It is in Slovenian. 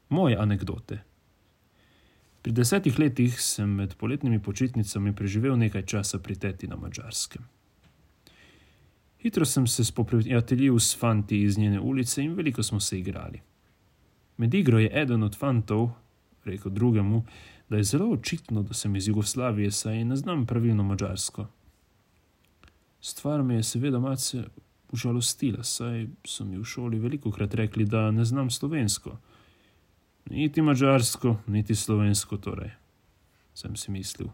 Moje anekdote. Pri 10 letih sem med poletnimi počitnicami preživel nekaj časa pri teti na Madžarskem. Hitro sem se spoprijateljil s fanti iz njene ulice in veliko smo se igrali. Med igro je eden od fantov rekel drugemu, da je zelo očitno, da sem iz Jugoslavije, saj ne znam pravilno madžarsko. Stvar me je seveda malce užalostila, saj so mi v šoli velikokrat rekli, da ne znam slovensko. Niti madžarsko, niti slovensko torej, sem si mislil.